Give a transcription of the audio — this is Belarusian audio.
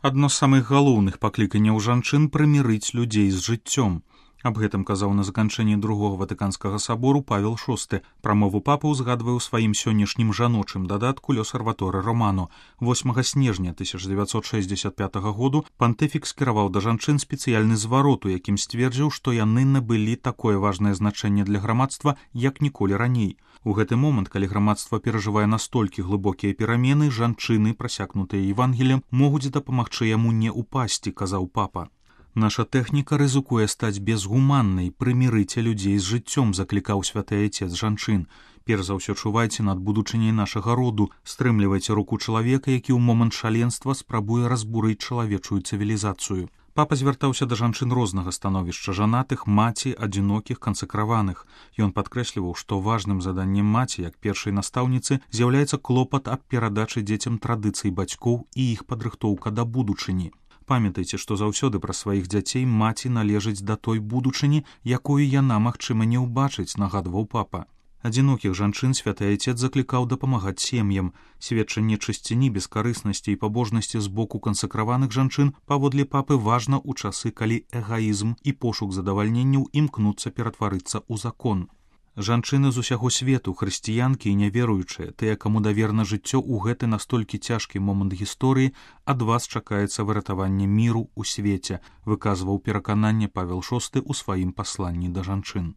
Адно з самых галоўных пакліканняў жанчын прымірыць людзей з жыццём. Аб гэтым казаў на заканчэнні другога ватыканскага сабору Павел VI. Прамову папы ўзгадвае ў сваім сённяшнім жаночым дадатку «L'Osservatore Romano». 8 снежня 1965 году пантыфік скіраваў да жанчын спецыяльны зварот, у якім сцвердзіў, што яны набылі такое важнае значэнне для грамадства, як ніколі раней. У гэты момант, калі грамадства перажывае настолькі глыбокія перамены, жанчыны, прасякнутыя Евангеліем, могуць дапамагчы яму не ўпасці, казаў папа. Наша тэхніка рызыкуе стаць безгуманнай, прымірыце людзей з жыццём, заклікаў святы айцец жанчын. Перш за ўсё чувайце над будучыняй нашага роду, стрымлівайце руку чалавека, які ў момант шаленства спрабуе разбурыць чалавечую цывілізацыю. Папа звяртаўся да жанчын рознага становішча, жанатых, маці, адзінокіх, кансакраваных. Ён падкрэсліваў, што важным заданнем маці, як першай настаўніцы, з'яўляецца клопат аб перадачы дзецям традыцый бацькоў і іх падрыхтоўка да будучыні. Памятайце, што заўсёды пра сваіх дзяцей маці належыць да той будучыні, якую яна, магчыма, не ўбачыць, нагадваў папа. Адзінокіх жанчын святы айцец заклікаў дапамагаць сем'ям. Сведчанне чысціні, бескарыснасці і пабожнасці з боку кансакраваных жанчын паводле папы важна ў часы, калі эгаізм і пошук задавальненняў імкнуцца ператварыцца ў закон. Жанчыны з усяго свету, хрысціянкі і няверуючыя, тыя, каму даверна жыццё ў гэты настолькі цяжкі момант гісторыі, ад вас чакаецца выратаванне міру ў свеце, выказваў перакананне Павел VI ў сваім пасланні да жанчын.